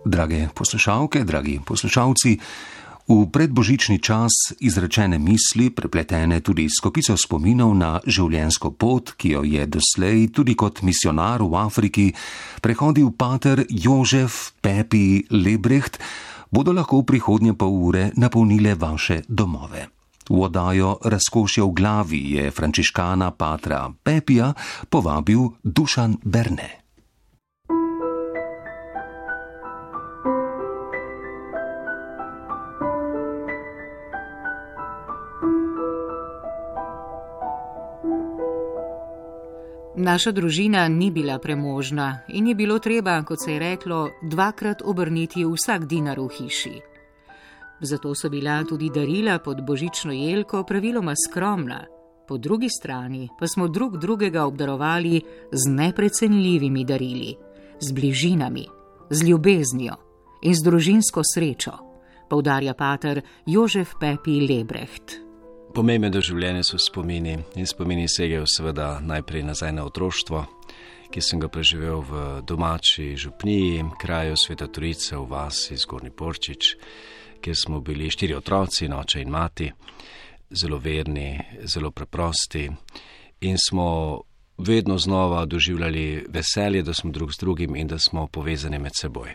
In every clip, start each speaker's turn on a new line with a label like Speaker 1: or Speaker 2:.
Speaker 1: Drage poslušalke, dragi poslušalci, v predbožični čas izrečene misli, prepletene tudi s kopico spominov na življenjsko pot, ki jo je doslej tudi kot misionar v Afriki prehodil pater Jožef Pepi Lebrecht, bodo lahko v prihodnje pol ure napolnile vaše domove. V oddajo Razkošje v glavi je frančiškana patra Pepija povabil Dušan Berne.
Speaker 2: Naša družina ni bila premožna in je bilo treba, kot se je reklo, dvakrat obrniti vsak dinar v hiši. Zato so bila tudi darila pod božično jelko praviloma skromna, po drugi strani pa smo drug drugega obdarovali z neprecenljivimi darili, z bližinami, z ljubeznijo in z družinsko srečo, poudarja pater Jožef Pepi Lebrecht.
Speaker 3: Pomembno življenje so spomini in spomini segajo seveda najprej nazaj na otroštvo, ki sem ga preživel v domači župniji, kraju Sveta Trojica v vasi Zgornji Porčič, kjer smo bili 4 otroci, oče in mati, zelo verni, zelo preprosti in smo vedno znova doživljali veselje, da smo drug z drugim in da smo povezani med seboj.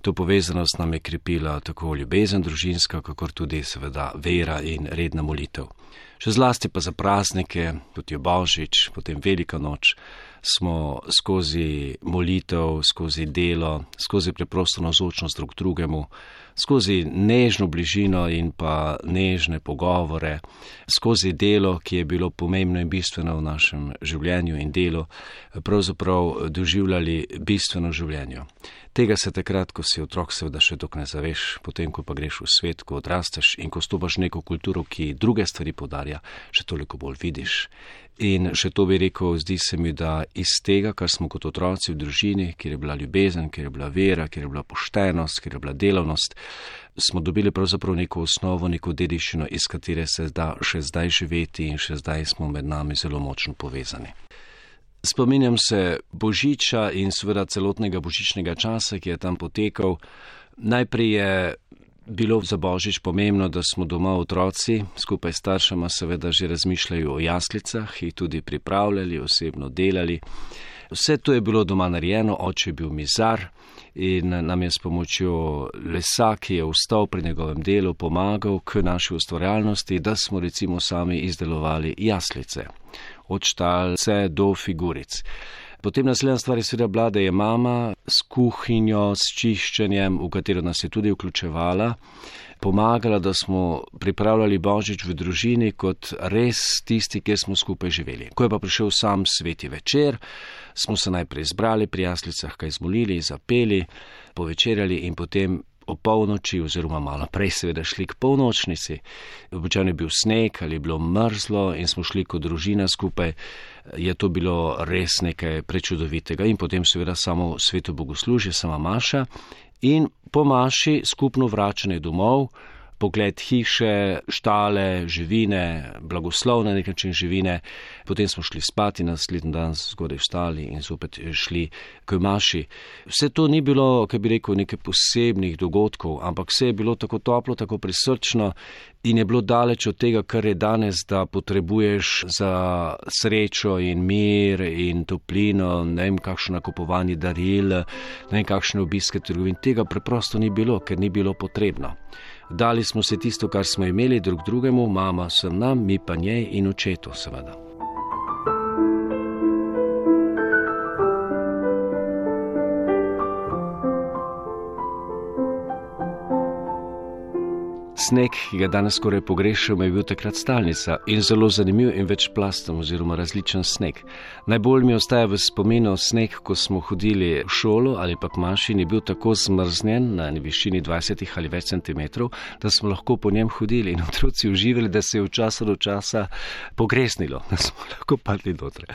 Speaker 3: To povezanost nam je krepila tako ljubezen družinska, kakor tudi seveda vera in redna molitev. Še zlasti pa za praznike, tudi je Božič, potem Velika noč, smo skozi molitev, skozi delo, skozi preprosto navzočnost drug drugemu, skozi nežno bližino in pa nežne pogovore, skozi delo, ki je bilo pomembno in bistveno v našem življenju in delu, pravzaprav doživljali bistveno življenje. Tega se takrat, ko si otrok, seveda še dok ne zaveš, potem, ko pa greš v svet, ko odrasteš in ko stopaš neko kulturo, ki druge stvari podarja, še toliko bolj vidiš. In še to bi rekel, zdi se mi, da iz tega, kar smo kot otroci v družini, kjer je bila ljubezen, kjer je bila vera, kjer je bila poštenost, kjer je bila delavnost, smo dobili pravzaprav neko osnovo, neko dediščino, iz katere se da še zdaj živeti in še zdaj smo med nami zelo močno povezani. Spominjam se Božiča in seveda celotnega božičnega časa, ki je tam potekal. Najprej je bilo za Božič pomembno, da smo doma otroci, skupaj s staršema seveda že razmišljajo o jaslicah, jih tudi pripravljali, osebno delali. Vse to je bilo doma narejeno, oče je bil mizar in nam je s pomočjo lesa, ki je vstal pri njegovem delu, pomagal k naši ustvarjalnosti, da smo recimo sami izdelovali jaslice, od štalce do figuric. Potem naslednja stvar je seveda bila, da je mama s kuhinjo, s čiščenjem, v katero nas je tudi vključevala, pomagala, da smo pripravljali Božič v družini kot res tisti, kjer smo skupaj živeli. Ko je pa prišel sam sveti večer, smo se najprej zbrali pri jaslicah, kaj zmolili, zapeli, povečerjali in potem o polnoči oziroma malo prej seveda šli k polnočnici. Običajno je bil sneg ali je bilo mrzlo in smo šli kot družina skupaj. Je to bilo res nekaj prečudovitega in potem seveda samo sveto bogoslužje, sama maša in po maši skupno vračanje domov, pogled hiše, štale, živine, blagoslov na nek način živine. Potem smo šli spati, naslednji dan zgodaj vstali in zopet šli k maši. Vse to ni bilo, kaj bi rekel, nekaj posebnih dogodkov, ampak vse je bilo tako toplo, tako prisrčno in je bilo daleč od tega, kar je danes, da potrebuješ za srečo in mir in toplino, ne vem, kakšno nakupovanje daril, ne vem, kakšne obiske trgovin. Tega preprosto ni bilo, ker ni bilo potrebno. Dali smo se tisto, kar smo imeli drug drugemu, mama sem nam, mi pa njej in očetu seveda. Sneg, ki ga danes skoraj pogrešamo, je bil takrat stalnica in zelo zanimiv in večplasten oziroma različen sneg. Najbolj mi ostaja v spominu sneg, ko smo hodili v šolo ali pa k maši in je bil tako zmrznjen na višini 20 ali več centimetrov, da smo lahko po njem hodili in otroci uživali, da se je v času do časa pogresnilo, da smo lahko padli noter.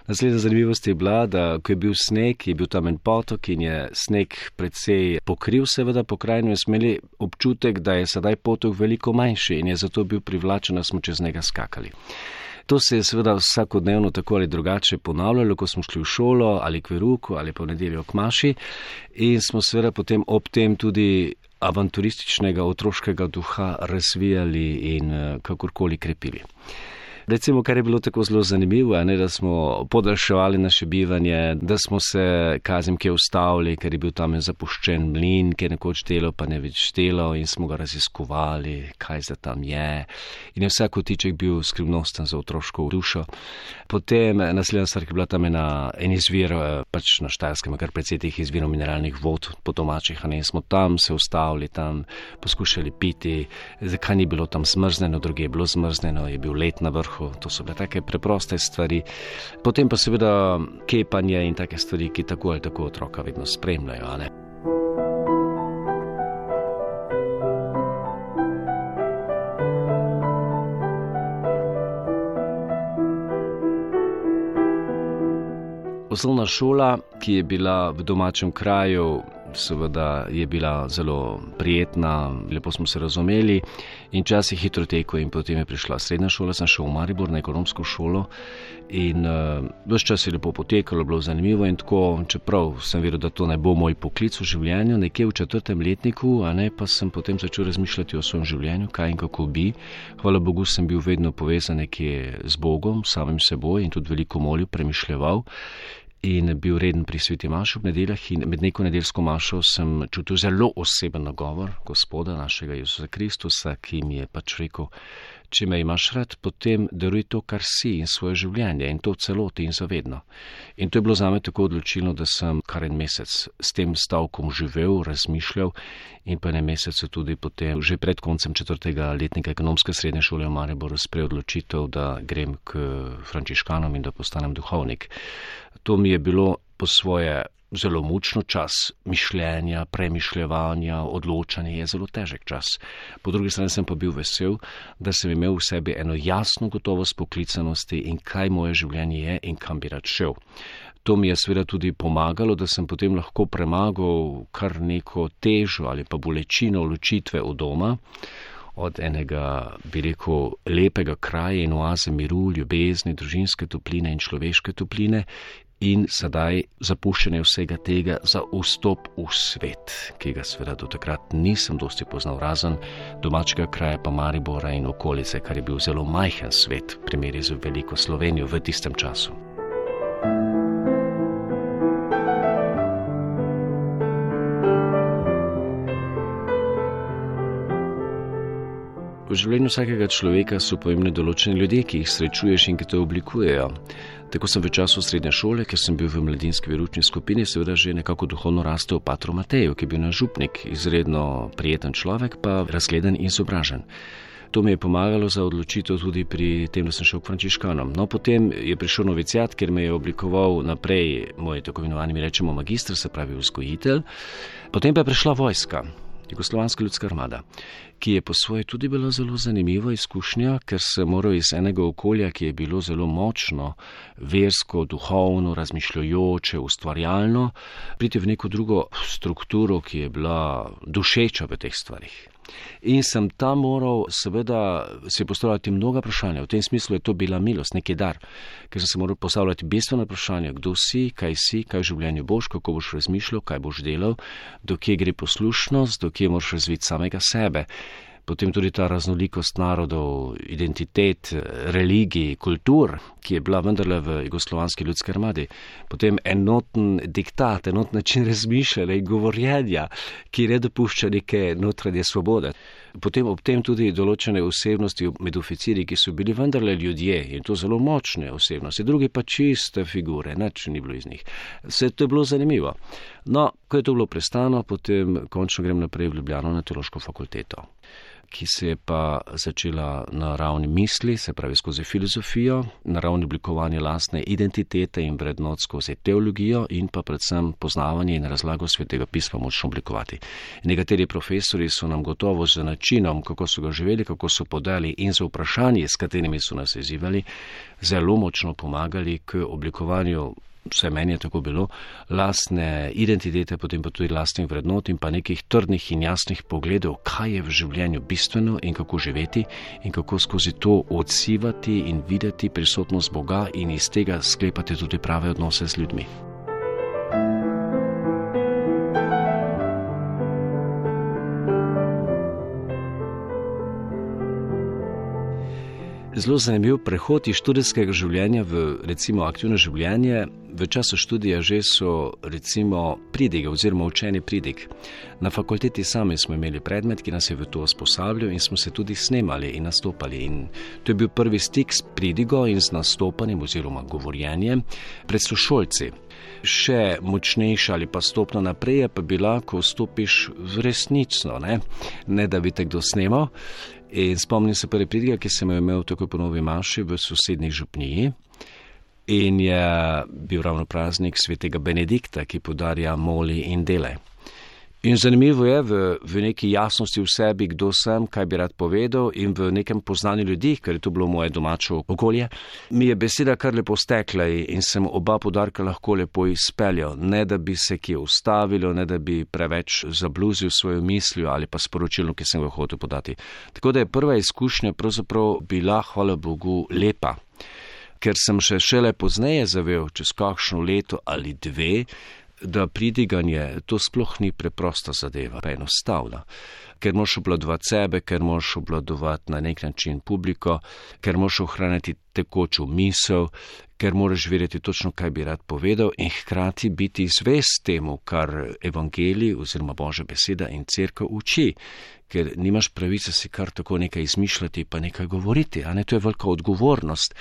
Speaker 3: Naslednja zanimivost je bila, da ko je bil sneg, je bil tam en potok in je sneg precej pokril seveda pokrajino in smo imeli občutek, da je sedaj potok veliko manjši in je zato bil privlačen, da smo čez njega skakali. To se je seveda vsakodnevno tako ali drugače ponavljalo, ko smo šli v šolo ali k veruku ali pa v nedeljo k maši in smo seveda potem ob tem tudi avanturističnega otroškega duha razvijali in kakorkoli krepili. Recimo, kar je bilo tako zelo zanimivo, da smo podaljševali naše bivanje, da smo se kje ustavili, ker je bil tam zapuščen mlin, ki je nekoč delal, pa ne več delal in smo ga raziskovali, kaj za tam je. In je vsak kotiček bil skrivnosten za otroško dušo. Potem naslednja stvar, ki je bila tam en izvir, pač na Štajerskem, kar precej teh izvirov mineralnih vod po domačih, in smo tam se ustavili, tam poskušali piti, zakaj ni bilo tam zmrzneno, druge je bilo zmrzneno, je bil led na vrhu. To so bile take preproste stvari. Potem pa seveda kepanje in take stvari, ki tako ali tako otroka vedno spremljajo, ne? Osnovna šola, ki je bila v domačem kraju, seveda je bila zelo prijetna, lepo smo se razumeli in čas je hitro tekel in potem je prišla srednja šola, sem šel v Maribor na ekonomsko šolo in ves čas je lepo potekalo, bilo zanimivo in tako, čeprav sem vedel, da to ne bo moj poklic v življenju, nekje v 4. letniku, pa sem potem začel razmišljati o svojem življenju, kaj in kako bi. Hvala Bogu sem bil vedno povezan nekje z Bogom, samim seboj in tudi veliko molil, premišljeval. In bil reden pri sveti maši ob nedeljah in med neko nedeljsko mašo sem čutil zelo oseben nagovor Gospoda našega Jezusa Kristusa, ki mi je pač rekel, če me imaš rad, potem daruj to, kar si in svoje življenje in to v celoti in zavedno. In to je bilo zame tako odločilno, da sem kar en mesec s tem stavkom živel, razmišljal in pa en mesec tudi potem, že pred koncem 4. letnika ekonomske srednje šole v Mariboru sprejel odločitev, da grem k frančiškanom in da postanem duhovnik. To mi je bilo po svoje zelo mučno čas mišljenja, premišljevanja, odločanja, je zelo težek čas. Po drugi strani sem pa bil vesel, da sem imel v sebi eno jasno gotovost poklicanosti in kaj moje življenje je in kam bi rad šel. To mi je seveda tudi pomagalo, da sem potem lahko premagal kar neko težo ali pa bolečino ločitve od doma, od enega, bi rekel, lepega kraja in oaze miru, ljubezni, družinske topline in človeške topline in sedaj zapuščanje vsega tega za vstop v svet, ki ga seveda do takrat nisem dosti poznal, razen domačega kraja pa Maribora in okolice, kar je bil zelo majhen svet v primeri z veliko Slovenijo v tistem času. V življenju vsakega človeka so pomembni določeni ljudje, ki jih srečuješ in ki te oblikujejo. Tako sem v času srednje šole, ker sem bil v mladinski veroučni skupini, seveda že nekako duhovno rastel v patru Mateju, ki je bil naš župnik, izredno prijeten človek, pa razgledan in izobražen. To mi je pomagalo za odločitev tudi pri tem, da sem šel k frančiškanom. No, potem je prišel noviciat, ker me je oblikoval naprej moj tako imenovani, mi rečemo, magister, se pravi vzgojitelj. Potem pa je prišla vojska, Jugoslovanska ljudska armada, ki je po svoje tudi bila zelo zanimiva izkušnja, ker se moral iz enega okolja, ki je bilo zelo močno, versko, duhovno, razmišljajoče, ustvarjalno, priti v neko drugo strukturo, ki je bila dušeča v teh stvarih. In sem tam moral seveda se postavljati mnoga vprašanja. V tem smislu je to bila milost, neki dar, ker sem se moral postavljati bistvena vprašanja, kdo si, kaj v življenju boš, kako boš razmišljal, kaj boš delal, do kje gre poslušnost, do kje moraš razviti samega sebe. Potem tudi ta raznolikost narodov, identitet, religij, kultur, ki je bila vendarle v Jugoslovanski ljudski armadi. Potem enoten diktat, enoten način razmišljanja in govorjenja, ki ne dopušča neke notranje svobode. Potem ob tem tudi določene osebnosti med oficiri, ki so bili vendarle ljudje in to zelo močne osebnosti, drugi pa čiste figure, nič ni bilo iz njih. Vse to je bilo zanimivo. No, ko je to bilo prestano, potem končno grem naprej v Ljubljano na teološko fakulteto, ki se je pa začela na ravni misli, se pravi skozi filozofijo, na ravni oblikovanja lastne identitete in vrednot skozi teologijo in pa predvsem poznavanje in razlago svetega pisma močno oblikovati. Nekateri profesori so nam gotovo z načinom, kako so ga živeli, kako so podali in za vprašanje, s katerimi so nas izzivali, zelo močno pomagali k oblikovanju vse meni je tako bilo, lastne identitete, potem pa tudi lastnih vrednot in pa nekih trdnih in jasnih pogledov, kaj je v življenju bistveno in kako živeti in kako skozi to odsivati in videti prisotnost Boga in iz tega sklepati tudi prave odnose z ljudmi. Zelo zanimiv prehod iz študijskega življenja v recimo aktivno življenje. V času študija že so recimo pridige oziroma učenje pridig. Na fakulteti sami smo imeli predmet, ki nas je v to usposabljal in smo se tudi snemali in nastopali. In to je bil prvi stik s pridigo in z nastopanjem oziroma govorjenjem pred sošolci. Še močnejša ali pa stopno naprej je pa bila, ko stopiš v resnično, ne da bi te kdo snemal. In spomnim se prve pridige, ki sem jo imel takoj po novi maši v sosednji župniji. In je bil ravno praznik svetega Benedikta, ki podarja moli in dele. In zanimivo je v neki jasnosti v sebi, kdo sem, kaj bi rad povedal in v nekem poznanju ljudi, ker je to bilo moje domače okolje, mi je beseda kar lepo stekla in sem oba podarka lahko lepo izpeljal, ne da bi se kje ustavilo, ne da bi preveč zabluzil svojo mislijo ali pa sporočilo, ki sem ga hotel podati. Tako da je prva izkušnja pravzaprav bila, hvala Bogu, lepa. Ker sem šele pozneje zavel, čez kakšno leto ali dve, da pridiganje to sploh ni preprosta zadeva, pa enostavna. Ker moraš obvladovati sebe, ker moraš obvladovati na nek način publiko, ker moraš ohraniti tekočo misel, ker moraš vedeti točno, kaj bi rad povedal in hkrati biti zvest temu, kar evangelij oziroma Božja beseda in cerkev uči. Ker nimaš pravice si kar tako nekaj izmišljati pa nekaj govoriti, to je velika odgovornost.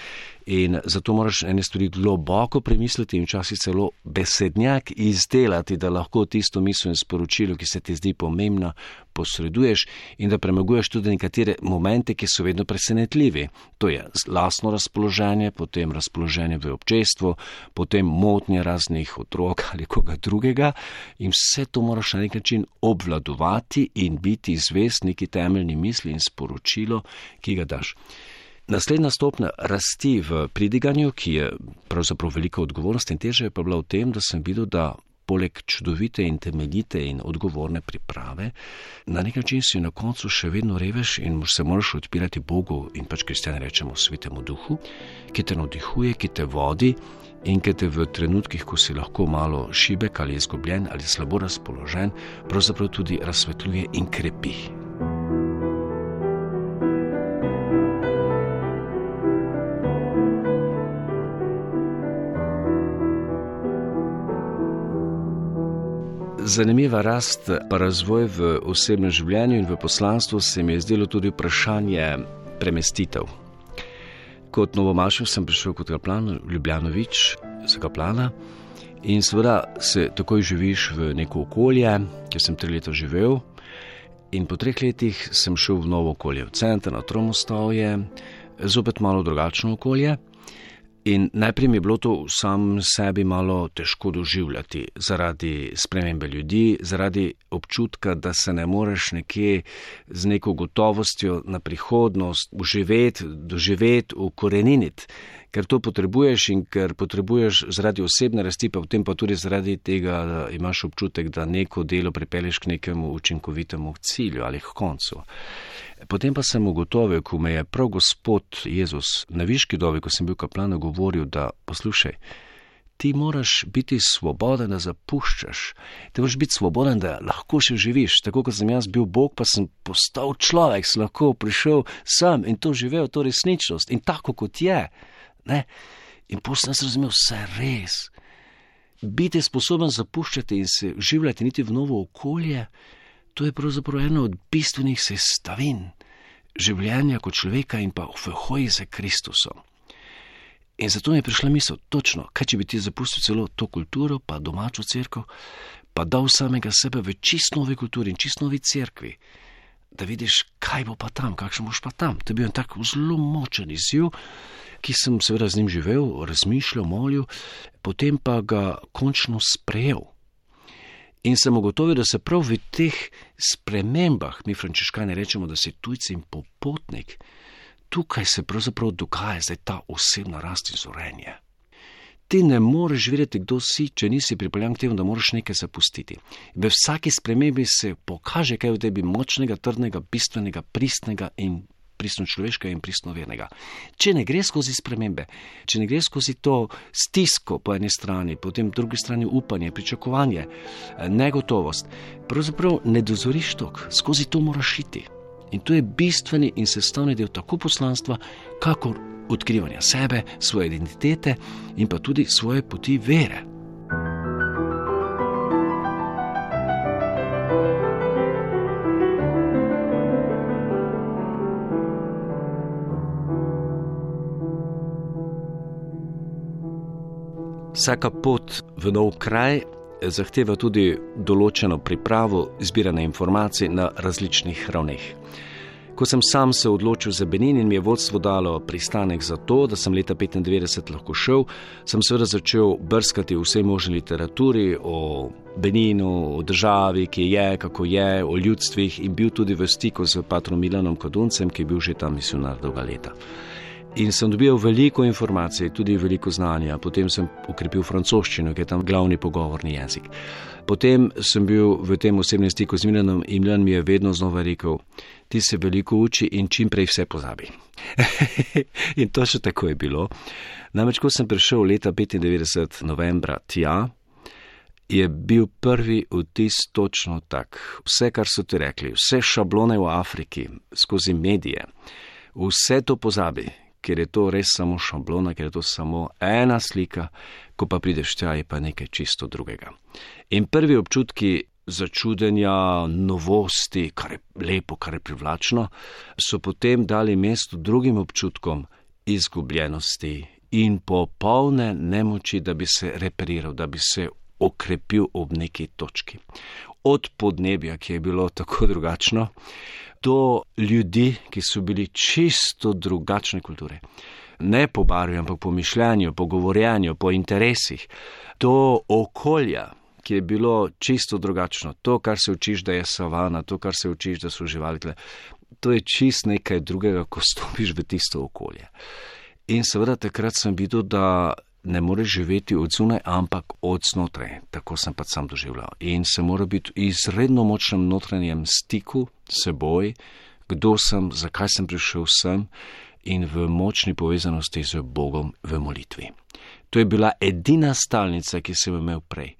Speaker 3: In zato moraš ene stvari globoko premisliti in včasih celo besednjak izdelati, da lahko tisto misel in sporočilo, ki se ti zdi pomembna, posreduješ in da premaguješ tudi nekatere momente, ki so vedno presenetljivi. To je lastno razpoloženje, potem razpoloženje v občestvu, potem motnje raznih otrok ali koga drugega in vse to moraš na nek način obvladovati in biti zvest neki temeljni misli in sporočilo, ki ga daš. Naslednja stopnja rasti v pridiganju, ki je pravzaprav velika odgovornost in teža je pa bila v tem, da sem videl, da poleg čudovite in temeljite in odgovorne priprave, na nek način si na koncu še vedno reveš in se moraš odpirati Bogu in kristjani rečemo Svetemu Duhu, ki te navdihuje, ki te vodi in ki te v trenutkih, ko si lahko malo šibek ali izgubljen ali slabo razpoložen, pravzaprav tudi razsvetljuje in krepi. Zanimiva rast pa razvoj v osebnem življenju in v poslanstvu se mi je zdelo tudi vprašanje premestitev. Kot novomašev sem prišel kot kaplan v Ljubljanovič za kaplana in seveda se takoj živiš v neko okolje, kjer sem 3 leta živel in po 3 letih sem šel v novo okolje, v center, na Tromostovje, zopet malo drugačno okolje. In najprej mi je bilo to sam sebi malo težko doživljati zaradi spremembe ljudi, zaradi občutka, da se ne moreš nekje z neko gotovostjo na prihodnost doživeti, ukoreniniti, ker to potrebuješ in ker potrebuješ zaradi osebne rasti, pa potem pa tudi zaradi tega, da imaš občutek, da neko delo pripelješ k nekemu učinkovitemu cilju ali k koncu. Potem pa sem ugotovil, ko me je prav Gospod Jezus na viški dobi, ko sem bil kaplan, govoril, da poslušaj, ti moraš biti svoboden, da zapuščaš. Ti moraš biti svoboden, da lahko še živiš. Tako kot sem jaz bil Bog, pa sem postal človek, sem lahko prišel sem in to živel, to resničnost in tako kot je. In potem sem razumel, vse res. Biti sposoben zapuščati in se življati niti v novo okolje, to je pravzaprav ena od bistvenih sestavin življenja kot človeka in pa v hoji za Kristusom. In zato mi je prišla misel, točno, kaj če bi ti zapustil celo to kulturo, pa domačo cerkev, pa dal samega sebe v čist novi kulturi in čist novi cerkvi, da vidiš, kaj bo pa tam, kakšen boš pa tam. To je bil en tak zelo močen izziv, ki sem seveda z njim živel, razmišljal, molil, potem pa ga končno sprejel. In sem ugotovil, da se prav v teh spremembah, mi frančiškani rečemo, da si tujci in popotnik, tukaj se pravzaprav dogaja zdaj ta osebna rast in zorenje. ti ne moreš vedeti, kdo si, če nisi pripeljan k temu, da moraš nekaj zapustiti. V vsaki spremembi se pokaže kaj v tebi močnega, trdnega, bistvenega, pristnega in pristno človeškega in pristno vernega. Če ne gre skozi spremembe, če ne gre skozi to stisko po eni strani, potem drugi strani upanje, pričakovanje, negotovost, pravzaprav ne dozoriš tok, skozi to moraš iti. In to je bistveni in sestavni del tako poslanstva, kakor odkrivanja sebe, svoje identitete in pa tudi svoje poti vere. Vsaka pot v nov kraj zahteva tudi določeno pripravo, zbiranje informacij na različnih ravneh. Ko sem sam se odločil za Benin in mi je vodstvo dalo pristanek za to, da sem leta 1995 lahko šel, sem seveda začel brskati v vsej možni literaturi o Beninu, o državi, ki je, kako je, o ljudstvih in bil tudi v stiku z patrom Milanom Koduncem, ki je bil že tam misionar dolga leta. In sem dobil veliko informacij, tudi veliko znanja. Potem sem ukrepil francoščino, ki je tam glavni pogovorni jezik. Potem sem bil v tem osebnem stiku z Milanom in Milan mi je vedno znova rekel, ti se veliko uči in čim prej vse pozabi. In to še tako je bilo. Namreč, ko sem prišel leta 1995 novembra tja, je bil prvi vtis točno tak. Vse, kar so ti rekli, vse šablone v Afriki, skozi medije, vse to pozabi. Ker je to res samo šablona, ker je to samo ena slika, ko pa prideš tja, je pa nekaj čisto drugega. In prvi občutki začudenja, novosti, kar je lepo, kar je privlačno, so potem dali mesto drugim občutkom izgubljenosti in popolne nemoči, da bi se reperiral, da bi se okrepil ob neki točki. Od podnebja, ki je bilo tako drugačno, do ljudi, ki so bili čisto drugačne kulture. Ne po barvi, ampak po mišljenju, po govorjenju, po interesih. Do okolja, ki je bilo čisto drugačno. To, kar se učiš, da je savana, to, kar se učiš, da so živali tle. To je čist nekaj drugega, ko stopiš v tisto okolje. In seveda takrat sem videl, da ne moreš živeti od zunaj, ampak od znotraj. Tako sem pa sam doživljal. In se mora biti v izredno močnem notranjem stiku s seboj, kdo sem, zakaj sem prišel sem in v močni povezanosti z Bogom v molitvi. To je bila edina stalnica, ki sem imel prej.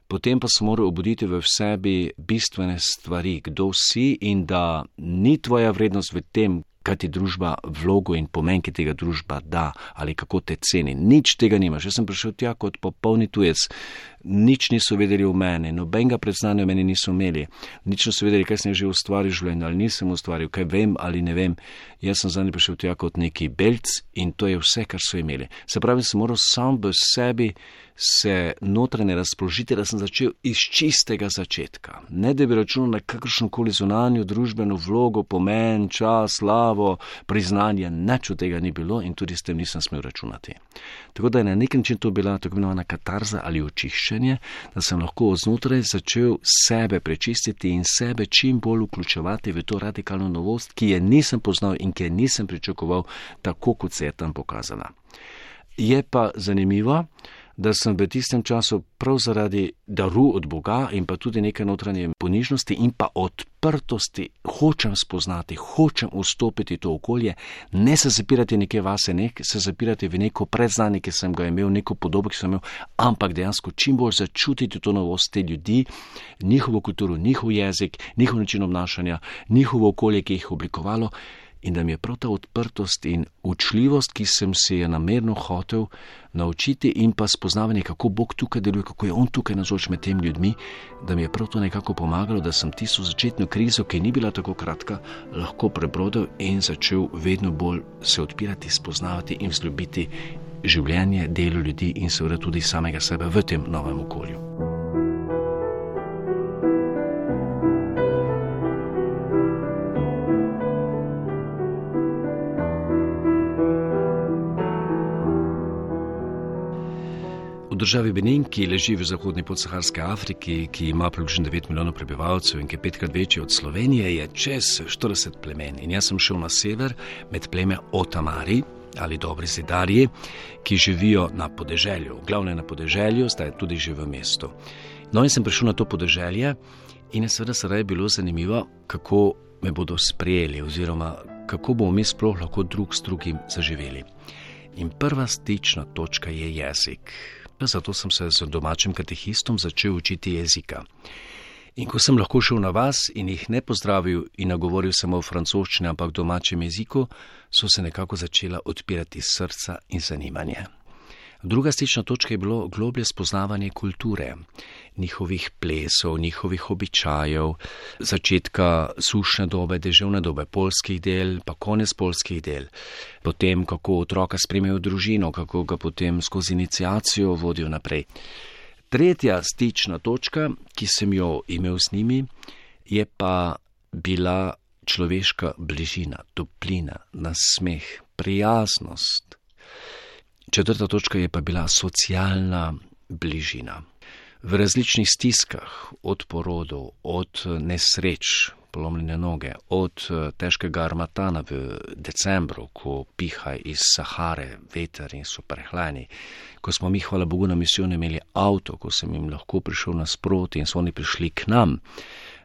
Speaker 3: Potem pa sem moral obuditi v sebi bistvene stvari, kdo si in da ni tvoja vrednost v tem, kaj ti družba vlogo in pomen, ki tega družba da ali kako te ceni. Nič tega nimaš. Jaz sem prišel tja kot popolni tujec. Nič niso vedeli o meni, nobenega predznanja o meni niso imeli. Nič niso vedeli, kaj sem že ustvaril življenje ali nisem ustvaril, kaj vem ali ne vem. Jaz sem zadnji prišel tja kot neki belc in to je vse, kar so imeli. Se pravi, sem moral sam v sebi se notranje razpoložiti, da sem začel iz čistega začetka. Ne da bi računal na kakršnokoli zunanjo družbeno vlogo, pomen, čas, slavo, priznanje, nič od tega ni bilo in tudi s tem nisem smel računati. Tako da je na nek način to bila tako imenovana katarza ali očiščenje, da sem lahko znotraj začel sebe prečistiti in sebe čim bolj vključevati v to radikalno novost, ki je nisem poznal in ki je nisem pričakoval tako, kot se je tam pokazala. Je pa zanimivo, da sem v tistem času prav zaradi daru od Boga in pa tudi nekaj notranje ponižnosti in pa odprtosti hočem spoznati, hočem vstopiti v to okolje, ne se zapirati nekaj vase, ne se zapirati v neko predznanje, ki sem ga imel, neko podobo, ki sem imel, ampak dejansko čim bolj začutiti to novost te ljudi, njihovo kulturo, njihov jezik, njihov način obnašanja, njihovo okolje, ki jih je oblikovalo. In da mi je prav ta odprtost in učljivost, ki sem se je namerno hotel naučiti in pa spoznavanje, kako Bog tukaj deluje, kako je On tukaj navzoč med temi ljudmi, da mi je prav to nekako pomagalo, da sem tisto začetno krizo, ki ni bila tako kratka, lahko prebrodil in začel vedno bolj se odpirati, spoznavati in vzljubiti življenje, delo ljudi in seveda tudi samega sebe v tem novem okolju. V državi Benin, ki leži v zahodni podsaharski Afriki, ki ima približno 9 milijonov prebivalcev in ki je 5krat večji od Slovenije, je čez 40 plemen. In jaz sem šel na sever med pleme Otamari ali dobri zidarji, ki živijo na podeželju, glavno na podeželju, zdaj tudi že v mestu. No in sem prišel na to podeželje in je seveda sedaj bilo zanimivo, kako me bodo sprejeli oziroma kako bomo mi sploh lahko drug s drugim zaživeli. In prva stična točka je jezik. Zato sem se z domačim katehistom začel učiti jezika. In ko sem lahko šel na vas in jih ne pozdravil in nagovoril samo v francoščini, ampak v domačem jeziku, so se nekako začela odpirati srca in zanimanje. Druga stična točka je bilo globlje spoznavanje kulture, njihovih plesov, njihovih običajev, začetka sušne dobe, deževne dobe, poljskih del, pa konec poljskih del, potem kako otroka sprejmejo v družino, kako ga potem skozi iniciacijo vodijo naprej. Tretja stična točka, ki sem jo imel z njimi, je pa bila človeška bližina, toplina, nasmeh, prijaznost. Četrta točka je pa bila socialna bližina. V različnih stiskah, od porodov, od nesreč, polomljene noge, od težkega armatana v decembru, ko piha iz Sahare veter in so prehlajeni, ko smo mi, hvala Bogu, na misijonu imeli avto, ko sem jim lahko prišel nasproti in so oni prišli k nam.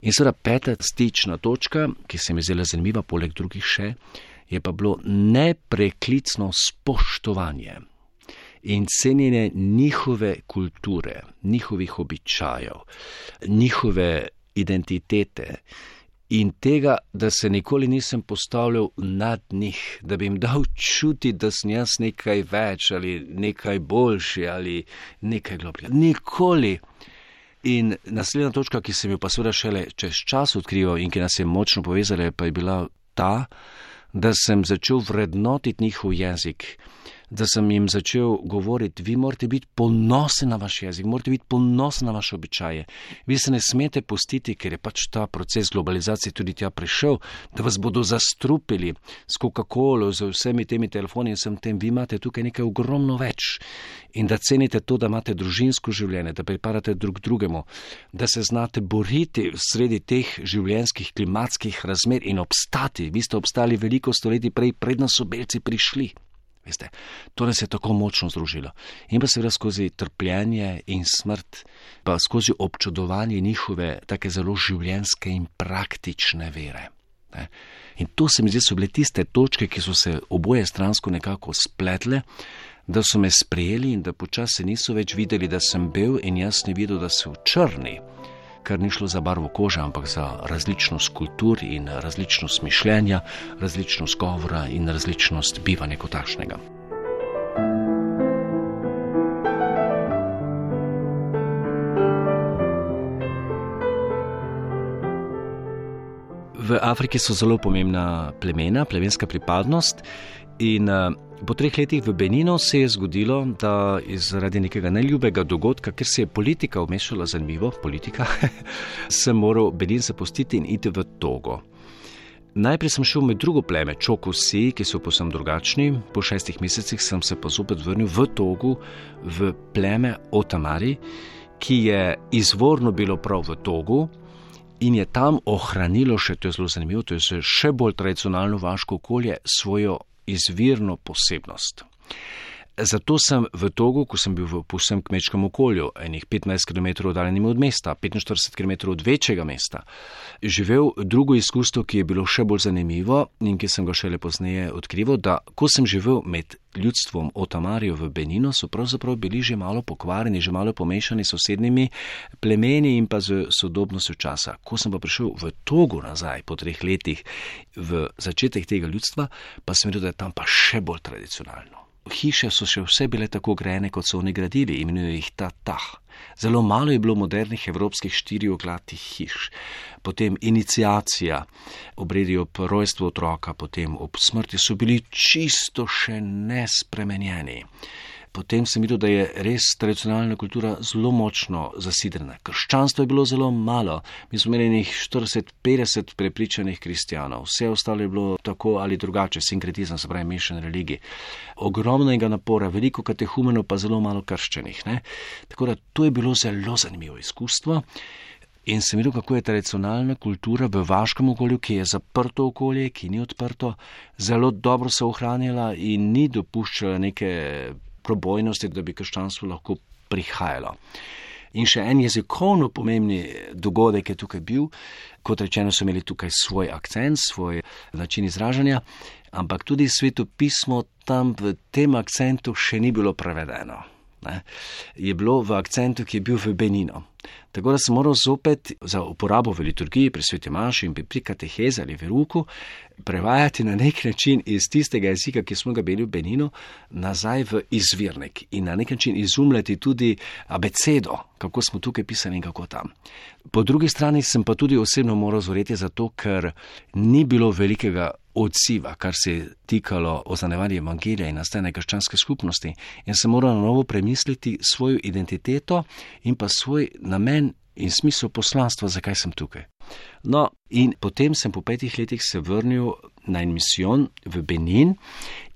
Speaker 3: In seveda peta stična točka, ki se mi zdela zanimiva, poleg drugih še, je pa bilo nepreklicno spoštovanje in cenjenje njihove kulture, njihovih običajev, njihove identitete in tega, da se nikoli nisem postavljal nad njih, da bi jim dal čuti, da sem jaz nekaj več ali nekaj boljši ali nekaj globljega. Nikoli. In naslednja točka, ki sem jo pa seveda šele čez čas odkrival in ki nas je močno povezala, pa je bila ta, da sem začel vrednotiti njihov jezik, da sem jim začel govoriti, vi morate biti ponosni na vaš jezik, morate biti ponosni na vaše običaje. Vi se ne smete pustiti, ker je pač ta proces globalizacije tudi tja prišel, da vas bodo zastrupili s Coca-Colo, z vsemi temi telefoni in vsem tem. Vi imate tukaj nekaj ogromno več in da cenite to, da imate družinsko življenje, da pripadate drug drugemu, da se znate boriti sredi teh življenjskih klimatskih razmer in obstati. Vi ste obstali veliko stoletij prej, predno so belci prišli. Veste, to nas je tako močno združilo. In pa seveda skozi trpljenje in smrt, pa skozi občudovanje njihove take zelo življenjske in praktične vere. Ne? In to se mi zdi, so bile tiste točke, ki so se oboje stransko nekako spletle, da so me sprejeli in da počasi niso več videli, da sem bel in jaz ne videl, da so črni, kar ni šlo za barvo kože, ampak za različnost kultur in različnost mišljenja, različnost govora in različnost bivanja kot takšnega. V Afriki so zelo pomembna plemena, plemenska pripadnost in po 3 letih v Beninu se je zgodilo, da zaradi nekega neljubega dogodka, ker se je politika vmešala, zanimivo, politika, sem moral Benin zapustiti in iti v Togo. Najprej sem šel med drugo pleme, Čokusi, ki so povsem drugačni. Po 6 mesecih sem se pa zopet vrnil v Togu, v pleme Otamari, ki je izvorno bilo prav v Togu in je tam ohranilo še, to je zelo zanimivo, to je še bolj tradicionalno vaško okolje, svojo izvirno posebnost. Zato sem v Togu, ko sem bil v povsem kmečkem okolju, enih 15 km oddaljenim od mesta, 45 km od večjega mesta, živel drugo izkustvo, ki je bilo še bolj zanimivo in ki sem ga šele pozneje odkrival, da ko sem živel med ljudstvom Otamarijo v Beninu, so pravzaprav bili že malo pokvarjeni, že malo pomešani s sosednjimi plemeni in pa z sodobnostjo časa. Ko sem pa prišel v Togu nazaj po 3 letih v začetek tega ljudstva, pa sem videl, da je tam pa še bolj tradicionalno. Hiše so še vse bile tako grajene, kot so oni gradili, imenujejo jih tatah. Zelo malo je bilo modernih evropskih 4-oglatih hiš. Potem iniciacija, obredi ob rojstvu otroka, potem ob smrti so bili čisto še nespremenjeni. Potem sem videl, da je res tradicionalna kultura zelo močno zasidrana. Krščanstvo je bilo zelo malo. Mi smo imeli 40-50 prepričanih kristjanov. Vse ostalo je bilo tako ali drugače, sinkretizem, se pravi mešane religije. Ogromnega napora, veliko katehumenov, pa zelo malo krščenih. Ne? Tako da to je bilo zelo zanimivo izkustvo. In sem videl, kako je tradicionalna kultura v vaškem okolju, ki je zaprto okolje, ki ni odprto, zelo dobro se ohranjala in ni dopuščala neke probojnosti, da bi krščanstvo lahko prihajalo. In še en jezikovno pomembni dogodek je tukaj bil, kot rečeno, so imeli tukaj svoj akcent, svoj način izražanja, ampak tudi svetopismo tam v tem akcentu še ni bilo prevedeno. Je bilo v akcentu, ki je bil v Beninu. Tako da sem moral zopet za uporabo v liturgiji pri sveti maši in pri katehezi ali veruku prevajati na nek način iz tistega jezika, ki smo ga bili v Beninu, nazaj v izvirnik in na nek način izumljati tudi abecedo, kako smo tukaj pisali in kako tam. Po drugi strani sem pa tudi osebno moral zoreti zato, ker ni bilo velikega odziva, kar se je tikalo oznanjevanja evangelija in nastajanja krščanske skupnosti, in sem moral na novo premisliti svojo identiteto in pa svoj namen in smisel poslanstva, zakaj sem tukaj. No, in potem sem po 5 letih se vrnil na en misijon v Benin,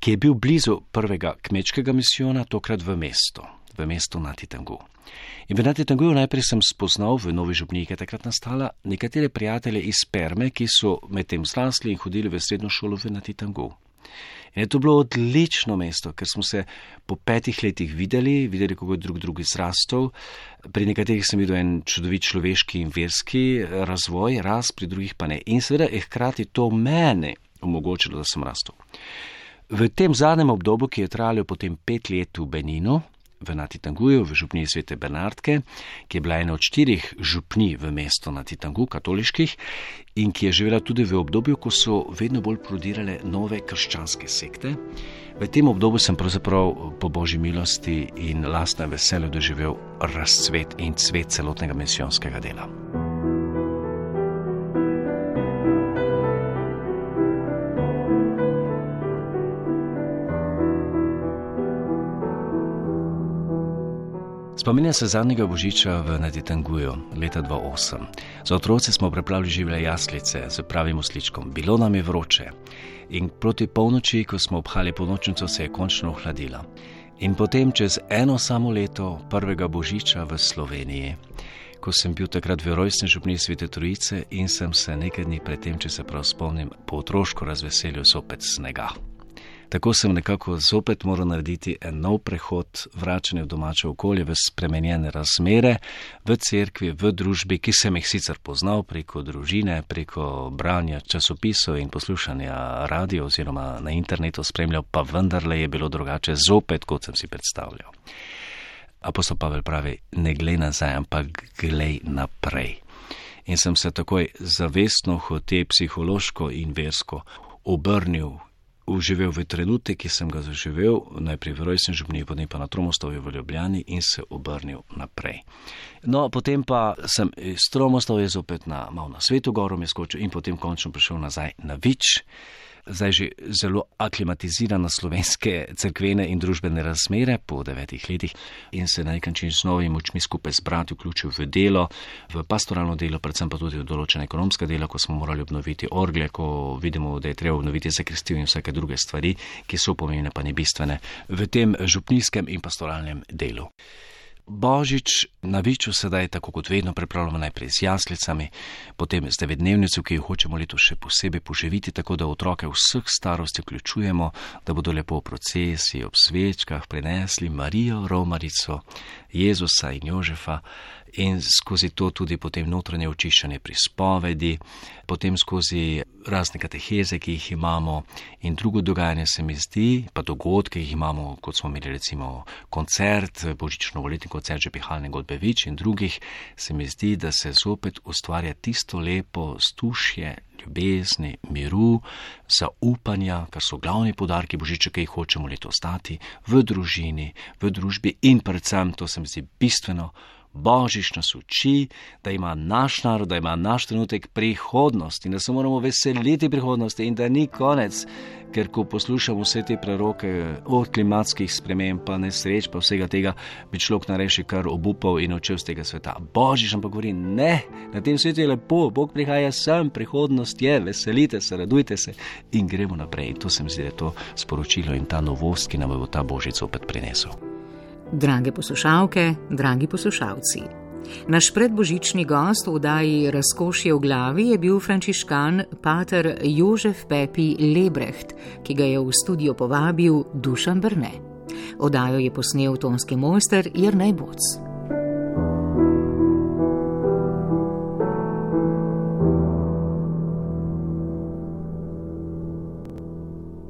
Speaker 3: ki je bil blizu prvega kmečkega misijona, tokrat v mestu Nati Tangu. In v Nati Tanguju najprej sem spoznal v Novi Župniji, ki je takrat nastala, nekatere prijatelje iz Perme, ki so medtem zrasli in hodili v srednjo šolo v Nati Tangu. In je to bilo odlično mesto, ker smo se po 5 letih videli, kako je drug zrastel. Pri nekaterih sem videl en čudovit človeški in verski razvoj, pri drugih pa ne. In seveda je hkrati to mene omogočilo, da sem rastel. V tem zadnjem obdobju, ki je trajalo potem 5 let v Beninu, v Nati Tanguju, v župniji Svete Bernardke, ki je bila ena od 4 župnij v mestu Nati Tangu, katoliških, in ki je živela tudi v obdobju, ko so vedno bolj prodirale nove krščanske sekte. V tem obdobju sem pravzaprav po Božji milosti in lastnem veselju doživel razcvet in cvet celotnega misijonskega dela. Spominjam se zadnjega božiča v Nati Tanguju, leta 2008. Za otroci smo preplavili živele jaslice z pravim osličkom. Bilo nam je vroče. In proti polnoči, ko smo obhali polnočnico, se je končno ohladila. In potem čez eno samo leto prvega božiča v Sloveniji, ko sem bil takrat v rojstni župniji Svete Trojice in sem se nekaj dni predtem, če se prav spomnim, po otroško razveselil zopet snega. Tako sem nekako zopet moral narediti en nov prehod, vračanje v domače okolje, v spremenjene razmere, v cerkvi, v družbi, ki sem jih sicer poznal preko družine, preko branja časopisov in poslušanja radio oziroma na internetu spremljal, pa vendarle je bilo drugače zopet, kot sem si predstavljal. Apostol Pavel pravi, ne glej nazaj, ampak glej naprej. In sem se takoj zavestno, hote psihološko in versko obrnil, uživel v trenutek, ki sem ga zaživel, najprej v rojstni župniji, potem pa na Tromostovju v Ljubljani in se obrnil naprej. No, potem pa sem iz Tromostovja zopet malo na Sveto Goro me skočil in potem končno prišel nazaj na Vič, zdaj že zelo aklimatiziran na slovenske cerkvene in družbene razmere po 9 letih in se na nek način z novimi močmi skupaj z brati vključil v delo, v pastoralno delo, predvsem pa tudi v določene ekonomske dela, ko smo morali obnoviti orgle, ko vidimo, da je treba obnoviti zakristijo in vsake druge stvari, ki so pomembne pa ne bistvene v tem župnijskem in pastoralnem delu. Božič na Viču sedaj, tako kot vedno, pripravljamo najprej z jaslicami, potem z 9-dnevnico, ki jo hočemo letos še posebej poživiti, tako da otroke vseh starosti vključujemo, da bodo lepo v procesiji ob svečkah prinesli Marijo, Romarico, Jezusa in Jožefa in skozi to tudi potem notranje očiščanje pri spovedi, potem skozi razne kateheze, ki jih imamo in drugo dogajanje se mi zdi, pa dogodke, ki jih imamo, kot smo imeli recimo koncert, božično-voletni koncert Žepihalne godbe Vič in drugih, se mi zdi, da se zopet ustvarja tisto lepo vzdušje ljubezni, miru, zaupanja, kar so glavni poudarki božiča, ki jih hočemo letos dati v družini, v družbi in predvsem, to se mi zdi bistveno, Božič nas uči, da ima naš narod, da ima naš trenutek prihodnost in da se moramo veseliti prihodnosti in da ni konec, ker ko poslušamo vse te preroke od klimatskih sprememb pa nesreč pa vsega tega, bi človek nareši kar obupal in odšel z tega sveta. Božič nam pa govori, ne, na tem svetu je lepo, Bog prihaja sem, prihodnost je, veselite se, radujte se in gremo naprej. In to se mi zdi, da je to sporočilo in ta novost, ki nam bo ta Božič opet prinesel.
Speaker 2: Drage poslušalke, dragi poslušalci, Naš predbožični gost v oddaji Razkošje v glavi je bil frančiškan pater Jožef Pepi Lebreht, ki ga je v studio povabil Dušan Brne. Oddajo je posnel tonski mojster Jernej Boc.